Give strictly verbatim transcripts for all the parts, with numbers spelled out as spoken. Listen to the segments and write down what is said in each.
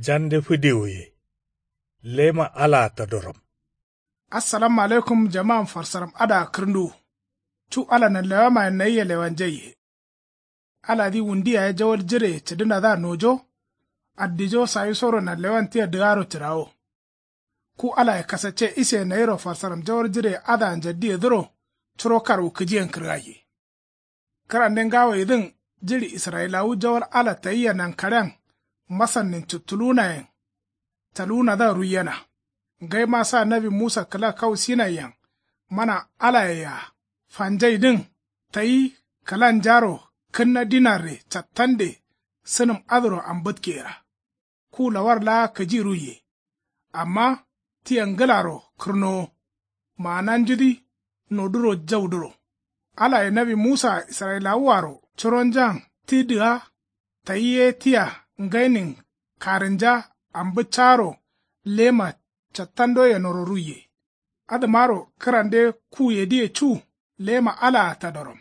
Jande fǝdewuye. Lema alaa tadoram. Assalamu alaikum. Jaman farsaram adǝa kǝrǝnduwu. Cu ala nanlewamayen nayia lewanjaiye. Aladǝ wundi yaye jawal jireye cǝdǝnadǝa nojo. Addijo sayisoro nanlewan tia dǝgaro cǝrawo. Ku alaye kasacce ise nayiro farsaram jawal jireye adǝa njaddiyedǝro. Curo karwu kǝjiyen kǝrgaiye. Kǝrande ngawoyedǝn jiɍi israyilawu jawal ala tayia nankaɍean masannin cuttuluwunayen. Taluwunadǝa ruiyena. Ngaima sa nawi musa kǝla kau sinaiyen mana alayea fanjaidǝn tayi kǝlanjaro kǝnna dinarre cattande sǝnǝm adǝro ambǝtkeyera. Ku lawar laa kǝji ruiye. Amma tia ngǝlaro kǝrnowo. Maananjudǝ noduro jaudǝro. Alaye nawi musaa israyilawuaro curonjan ti dǝga tayi ye tia ngainin karǝnja ambǝccaro lema cattandoyenoro ruiye. Adǝmaro kǝrande kuyedǝye cu lema alaa tadoram.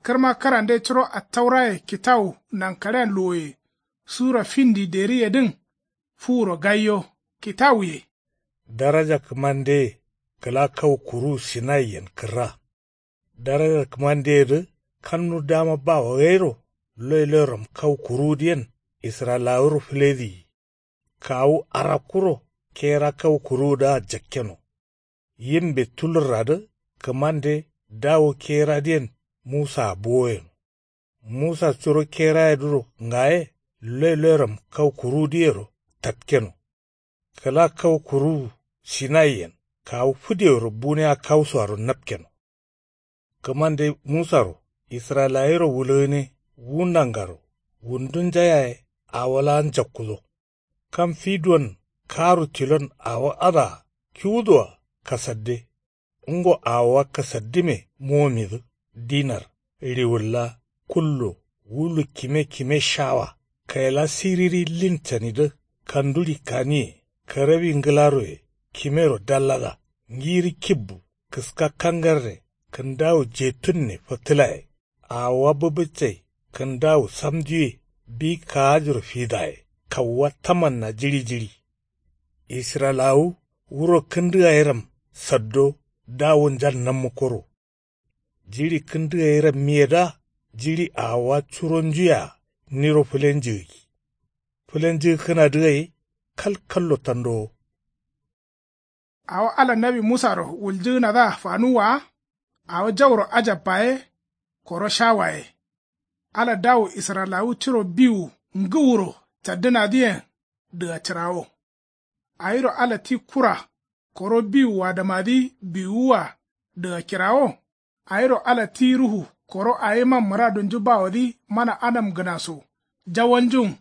Kǝrma kǝrande curo attauraye kitawu nankaɍean luwoye sura findi deriyedǝn fuwuro gaiyo kitawuye. Daraja kǝmandeye kǝla kau kuruwu sinaiyen kǝrra. Daraja kǝmandeyedǝ kannu dama bawo gairo loiloiram kau kuruwudǝyen israyilawuro fǝlediyi. Kawu arakkuro kera kau kuruwudǝa jakkeno. Yimbe tulurradǝ kǝmande dawu keradǝyen musaa buwoyeno. Musa curo kerayedǝro ngaye loiloiram kau kuruwudǝyero tatkeno. Kǝla kau kuruwu sinaiyen kawu fǝdeworo buniya kausoaro napkeno. Kǝmande musaro israyilayiro wulgǝne wu nangaro wundunja yaye awo laa njakkudo. Kam fi duwon karu tilon awo adǝa kiwudǝa kasadde. Ngo awowa kasaddǝme mowomidǝ dinar riwul laa kullo wulu kime kime shawa kaila siriri lin canidǝ kanduɍi kaniye karawi ngǝlaroye kimero dallada ngirǝ kibbu kǝska kangarre kǝndawu jetunne fǝtǝlaye. Awowa bǝbǝccai kǝndawu samdiwe bi kaajiro fidaye kauwa tamanna jiɍi jiɍi. Israyilawu wuro kǝndǝgayiram saddo dawunjan nammukoro. Jiɍi kǝndǝgayirammiyedǝa jiɍi awowa curonjuyea niro fǝlenjǝgǝgi. Fǝlenjǝgǝkkǝnadǝ gai kalkallo tandowo. Awo ala nawi musaro wuljǝgǝnadǝa fanuwwa wa. Awo jauro ajabba ye koro shawa ye. Ala dawu israyilawu curo biwu ngǝwuro caddǝnadǝyen dǝgacǝrawo. Awiro ala ti kura koro biwu adamadǝ biwuwua dǝgakirawo. Awiro ala ti ruhu koro awima mǝradunju bawodǝ mana adamgǝnaso jawalnjun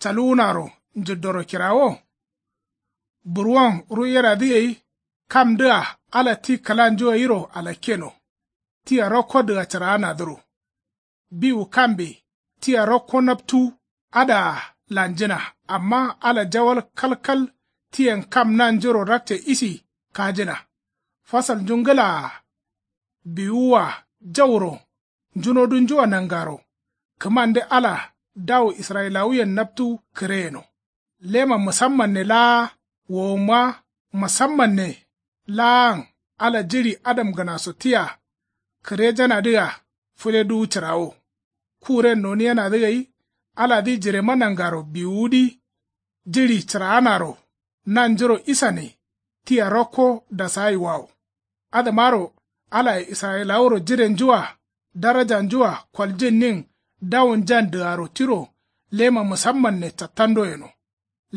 caluwunaro njǝddoro kirawo. Burwon ruiyeradǝ gai kamdǝa ala ti kǝlanju gairo alakkeno. Tia rokko dǝgacǝraanadǝro. Biwu kambe tia rokko naptu adǝa lanjǝna amma ala jawal kalkal tiyen kam nanjuro rakce isi kajǝna. Fasalnju ngǝlaa biwuwua jauro njunodunjua nangaro kǝmande ala dawu israyilawuyen naptu kǝre yeno. Lema musammanne laa wowomma musammanne laan ala jiɍi adamgǝnaso tia kǝrejanadǝa fǝleduwu cǝrawo. Kuren noniyenadǝ gai aladǝ jirema nangaro biwuwudǝ jiɍi cǝraanaro nanjuro isane tia rokko dasayiwawo. Adǝmaro alaye israyilawuro jirenjua darajanjua koljǝnnin dawunjan dǝgaro tiro lema musammanne cattando yeno.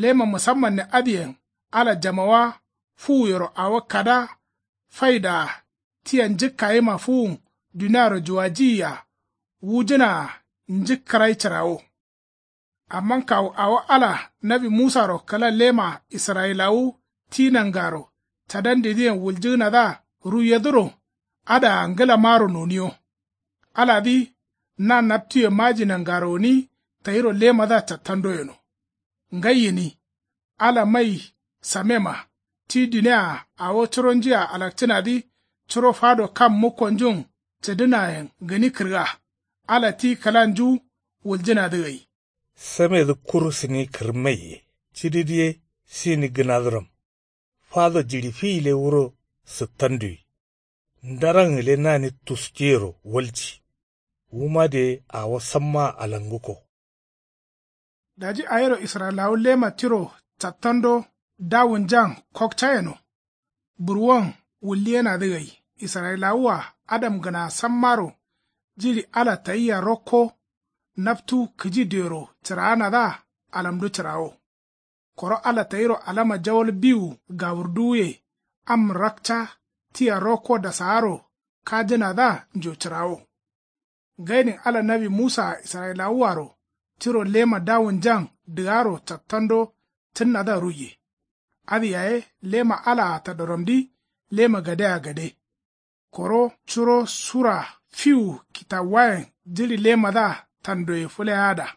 Lema musammanne adǝyen ala jamawa fuwuyero awo kada faidaa tia njǝkkayima fuwun duniaro juwajiyi-a wujǝnaa njǝkkǝrai cǝrawo. Amma kawu awo ala nawi musaro kǝla lema israyilawu ti nangaro cadandidǝyen wuljǝgǝnadǝa ruiyedǝro adǝa ngǝlamaro noniyo. Aladǝ na naptuye maji nangaro gǝni tayiro lemadǝa cattando yeno. Ngai gǝni ala mai samema ti dunia-a awo curonjuyea alakcǝnadǝ curo fado kam mukkonjun cǝdǝnayen gǝni kǝrga. Ala ti kǝlanju wuljǝnadǝ gai. Samedǝ kuru sǝni kǝrǝmmaiye cididǝ ye sini gǝnadǝram. Fado jiɍi fi gǝle wuro sǝttanduwi. Ndaran gǝle nani tusceyero walji. Wuma dǝ ye awo sammaa alanguko. Daji awiro israyilawu lema tiro cattando dawunjan kokca yeno. Burwon wulliyenadǝ gai israyilawu-a adamgǝna sammaro jiɍi ala tayia rokko. Naptu kǝji diyoro cǝraanadǝa alamdu cǝrawo. Koro ala tayiro alama jawal biwu gawurduwuye am rakca tia rokko dasaaro kajǝnadǝa njo cǝrawo. Ngainin ala nawi musaa israyilawuaro tiro lema dawunjan dǝgaro cattando cǝnnadǝa ruiye. Adǝ yaye lema alaa tadoramdǝ lema gadea gade. Koro curo sura fiwu kitawuwayen jiɍi lemadǝa tandoye fǝleyaada.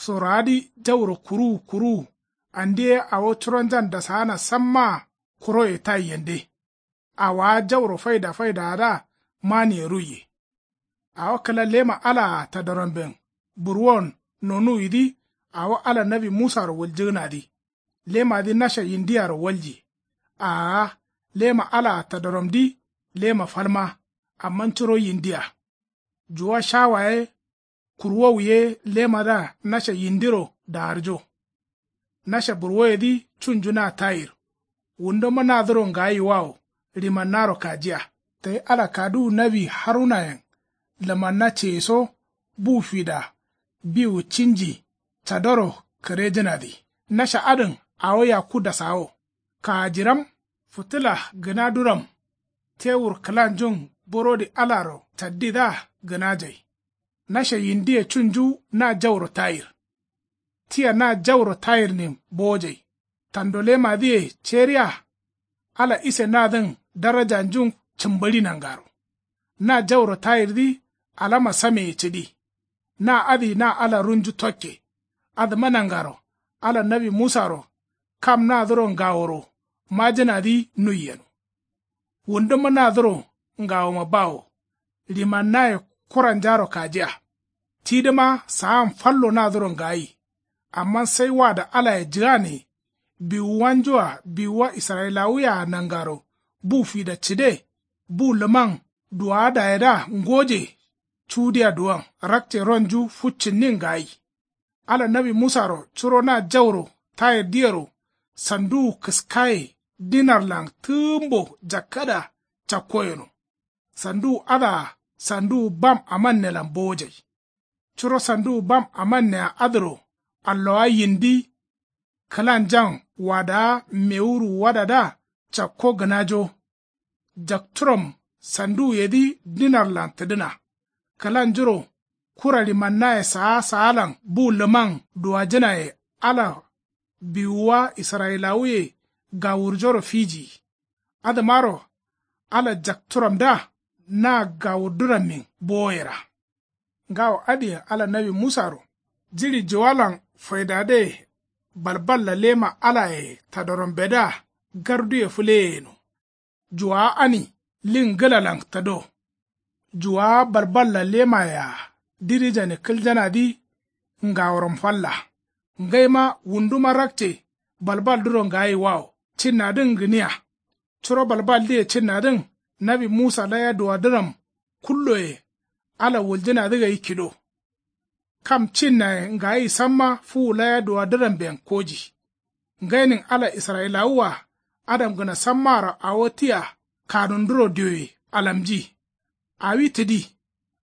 Soroadǝ jauro kuruwu kuruwu andi ye awo curonjan dasaana sammaa kuroye taiyende. Awaa jauro faida faidaadǝa maniye ruiye. Awo kǝla lema alaa tadoramben burwon nonuwidǝ awo ala nawi musaro wuljǝgǝnadǝ. Lemadǝ nasha yindiaro walji. Aa lema alaa tadoramdǝ lema falma. Amma curo yindia juwa shawa ye kurwowu ye lemadǝa nasha yindiro daarjo. Nasha burwoyedǝ cunju na tayir. Wundoma nadǝro ngayiwawo ɍimannaro kajiya. Tayi ala kaduwu nawi harunayen lǝmanna ceyeso bu fida biwu cinji cadoro kǝrejǝnadǝ. Nasha adǝn awo yakku dasawo. Kaajiram fǝtǝla gǝnaduram tewur kǝlanjun burodi alaro caddidǝa gǝnajai. Nasha yindiye cunju na jauro tayir. Tia na jauro tayirnin bowojai. Tando lemadǝye ceriya. Ala ise nadǝn darajanjun cǝmbǝɍi nangaro. Na jauro tayirdǝ alama sameye cǝdi. Na adǝ na ala runju tokke. Adǝma nangaro ala nawi musaro kam nadǝro ngaworo majǝnadǝ nuiyeno. Wundǝma nadǝro ngawoma bawo. Ɍimannaye kuranjaro kajiya. Tidǝma saan fallo nadǝro ngayi. Amma sai wada alaye jǝgane. Biwuwanju-a biwuwa israyilawuye-a nangaro bu fida cǝde. Bu lǝman duwaadayedǝa ngoje. Cudiya duwan rakce ronju fuccinnin ngayi. Ala nawi musaro curo na jauro tayirdǝyero sanduwu kǝskaye dinarlan tǝgǝmbo jakkada cakko yeno. Sanduwu adǝa sanduwu bam amannelan bowojai. Curo sanduwu bam amannea adǝro allowa yindi kǝlanjan wadawa mewuru wadadǝa cakko gǝnajo. Jakturam sanduwuyedǝ dinarlan tǝdǝna. Kǝlanjuro kura ɍimannaye saa saalan bu lǝman duwajǝnaye ala biwuwa israyilawuye gawurjoro fijiyi. Adǝmaro ala jakturamdǝa na gawurdǝrammin bowoyera. Ngawo adǝyen ala nawi musaro jiɍi juwalan faidadǝye balballa lema alaye tadorambedǝa garduye fǝleye yeno. Juwawa ani lin ngǝlalan tado. Juwawa balballa lemayea dirijane kǝljanadǝ ngaworam falla. Ngaima wunduma rakce balbalduro ngayiwawo cinnadǝn gǝniya. Curo balbaldǝye cinnadǝn nawi musa laya duwadǝram kulloye ala wuljǝnadǝ gai kido. Kam cinnaye ngayi samma fuwu laya duwadǝramben koji. Ngainin ala israyilawu-a adamgǝna sammaro awo tia kanunduro dioye alamji. Awi tǝdi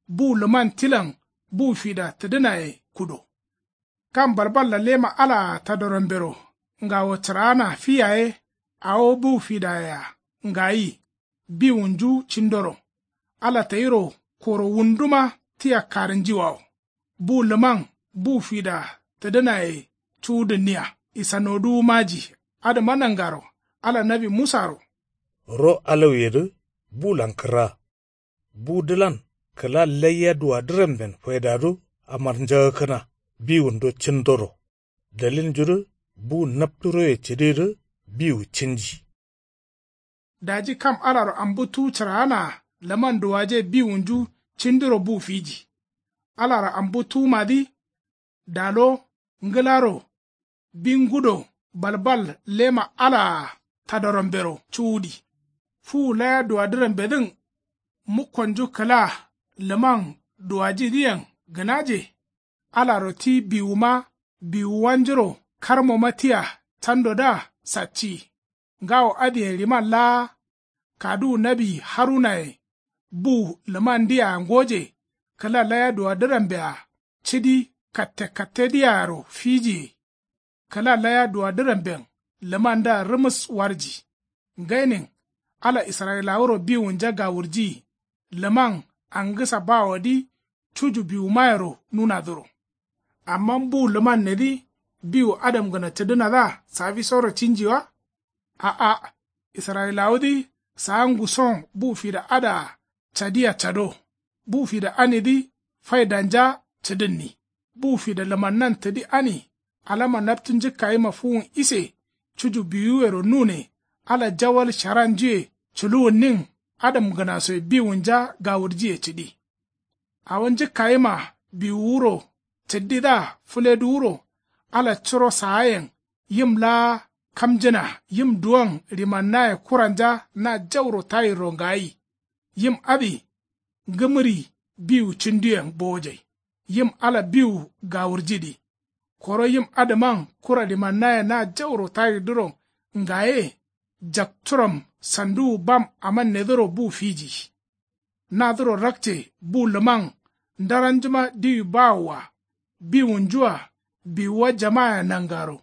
bu lǝman tilan bu fida tǝdǝnaye kudo. Kam balballa lema alaa tadorambero ngawo cǝraana fi yaye awo bu fidayea ngayi biwunju cindoro. Ala tayiro koro wunduma tia karǝnjiwawo. Bu lǝman bu fida tǝdǝnaye cuwudǝnniya isanoduwu maji. Adǝma nangaro ala nawi musaro. Ro alauyedǝ bulan kǝrra. Budǝlan kǝla laiya duwadǝramben faidadu amarnjagakkǝna biwundo cindoro. Dalilnjudǝ bu napturoye cǝdidǝ biwu cinji. Daji kam alaro ambuttuwu cǝraanaa lǝman duwaje biwunju cindiro bu fiji. Alaro ambuttuwumadǝ dalo ngǝlaro bi ngudo balbal lema alaa tadorambero cuwudi. Fuwu laya duwadǝrambedǝn mukkonju kǝla lǝman duwajidǝyen gǝnaje. Alaro ti biwuma biwuwanjuro karmoma tia candodǝa sacciyi. Ngawo adǝyen riman laa kaduwu nawi harunaye bu lǝmandǝyea ngoje kǝla laya duwadǝrambea cidi katte kattedǝyearo fijiye. Kǝla laya duwadǝramben lǝmandǝa rǝmǝs warji. Ngainin ala israyilawuro biwunja gawurjiyi. Lǝman angǝsa bawodǝ cuju biwumayero nunadǝro. Amma bu lǝmannedǝ biwu adamgǝna cǝdǝnadǝa safisoro cinji wa? A'a. Israyilawudǝ saa nguson bu fida adǝa cadiya cado. Bu fida anidǝ faidanja cǝdǝnni. Bu fida lǝmannan tǝdi ani alama naptu njǝkkayima fuwun ise cuju biwuwero nune ala jawal sharanjuye culuwunnin adamgǝnasoye biwunja gawurjiye cǝdi. Awo njǝkkayima biwuwuro cǝddidǝa fǝleduwuro ala curo saayen yim laa kamjǝna yim duwon rimannaye kuranja na jauro tayirro ngayi. Yim adǝ ngǝmǝri biwu cinduyen bowojai. Yim ala biwu gawurjidǝ. Koro yim adǝman kura limannaye na jauro tayirdǝro ngaye. Jakturam sanduwu bam amannedǝro bu fiji. Nadǝro rakce bu lǝman ndaranjuma diwi bawoa biwunjua biwuwa jama'aya nangaro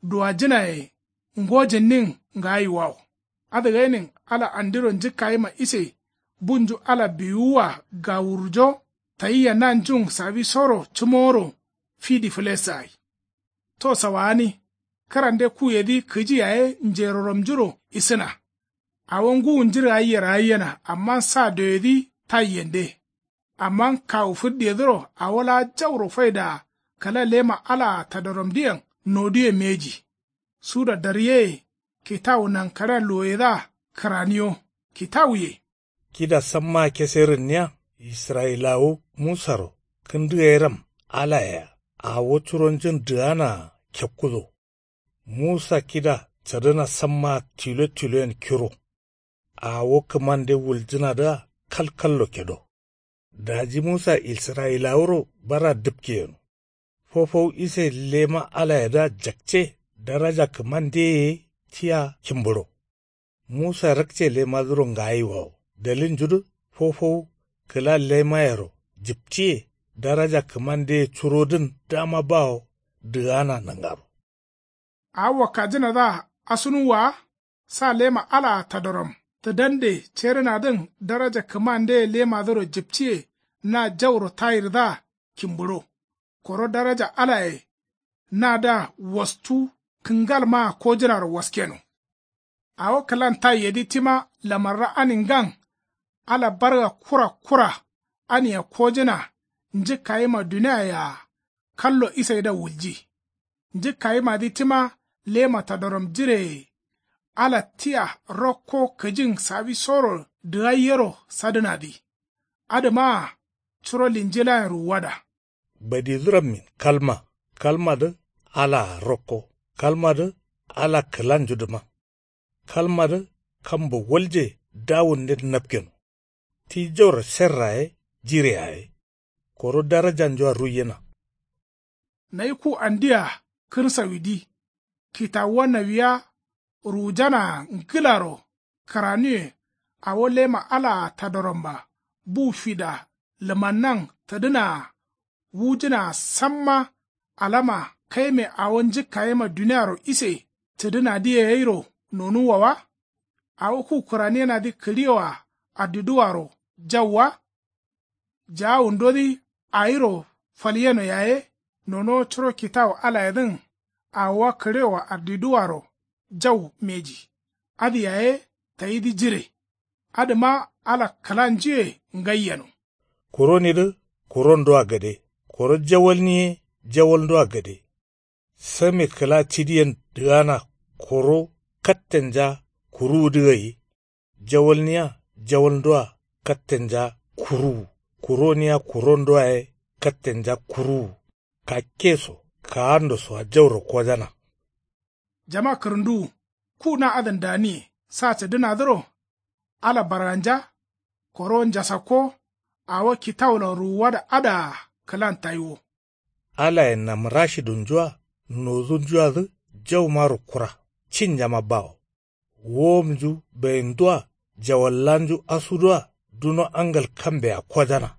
duwajǝnaye ngojǝnnin ngayiwawo. Adǝ gainin ala andiro njǝkkayima ise bunju ala biwuwua gawurjo tayia nanjun safisoro cǝmoworo fidi fǝlesǝ gai. To sawagani kǝrande kuyedǝ kǝji yaye njeroramjuro isǝna. Awo ngǝwunjǝ ragayyero gayyena amma sa doyedǝ taiyende. Amma kawu fǝddiyedǝro awo laa jauro faidaa kǝla lema alaa tadoramdǝyen noduwe mbeji. Suda daryeye kitawu nankaɍea luwoyedǝa kǝraniyo. Kitawuye. Kida sammaa keserǝnniya israyilawu musaro kǝndǝgairam alayea awo curonjun dǝganaa kekkudo. Musa kida cadǝna sammaa tilo tiloyen kiro. Awo kǝmande wuljǝnadǝa kalkallo kedo. Daji musa israyilawuro bara dǝpke yeno. Fofau ise lema alayedǝa jakce daraja kǝmandeye ye tia kimbǝɍo. Musa rakce lemadǝro ngayiwawo dalilnjudǝ fofau kǝla lemayero jǝpciye daraja kǝmandeye curodǝn dama bawo dǝgana nangaro. Awo wakkajǝnadǝa asunuwwa wa. Sa lema alaa tadoram tǝdande cerǝnadǝn daraja kǝmandeye lemadǝro jǝpciye na jauro tayirdǝa kimbǝɍo. Koro daraja alaye nadǝa wastu kǝngalmaa kojǝnaro waskeno. Awo kǝlan taiyedǝ tima lamarra aningan ala barga kura kura ania kojǝna njǝkkayima duniaye-a kallo isaidǝa wulji. Njǝkkayimadǝ tima lema tadoram jireye ala tia rokko kǝjin safisoro dǝgaiyero sadǝnadǝ. Adǝmaa curo linjilayen ruwuwada. Badidǝrammin kalma kalmadǝ alaa rokko kalmadǝ ala kǝlanjudǝma. Kalmadǝ kambo walje dawunden napkeno. Ti jauro serra ye jire yaye koro darajanjua ruiyena. Nayi ku andia kǝrsawidǝ kitawuwa nawiya ruwujanaa ngǝlaro kǝranuwe. Awo lema alaa tadoramba bu fida lǝmannan tǝdǝnaa wujǝnaa samma alama kaime awo njǝkkayima duniaro ise cǝdǝnadǝye gairo nonuwwa wa. Awo ku kǝraniyenadǝ kǝɍiyewoa addiduwaro jau wa. Jaawundodǝ awiro falyeno yaye nonowo curo kitawu alayedǝn awowa kǝɍiyewoa addiduwaro jau mbeji. Adǝ yaye tayidǝ jire. Adǝma ala kǝlanjuye ngai yeno. Kuronidǝ kurondua gade koro jawalni ye jawalndua gade. Same kǝla cidiyen dǝgana koro kattenja kuruwudǝ gai. Jawalniya jawalndua kattenja kuruwu. Kuroniya kurondua ye kattenja kuruwu. Kakke so kaando soa jauro kojana. Jama kǝrǝnduwu ku na adǝn daniye sa cǝdǝnadǝro. Ala barganja koro njasakko. Awo kitawulan ruwuwada adǝa kǝlan tayiwo. Alaye namrashidunjua nodunjuadǝ jaumaro kura cinjama bawo. Wowomnju bayindu-a jawallanju asudu-a duno angal kambea kojana.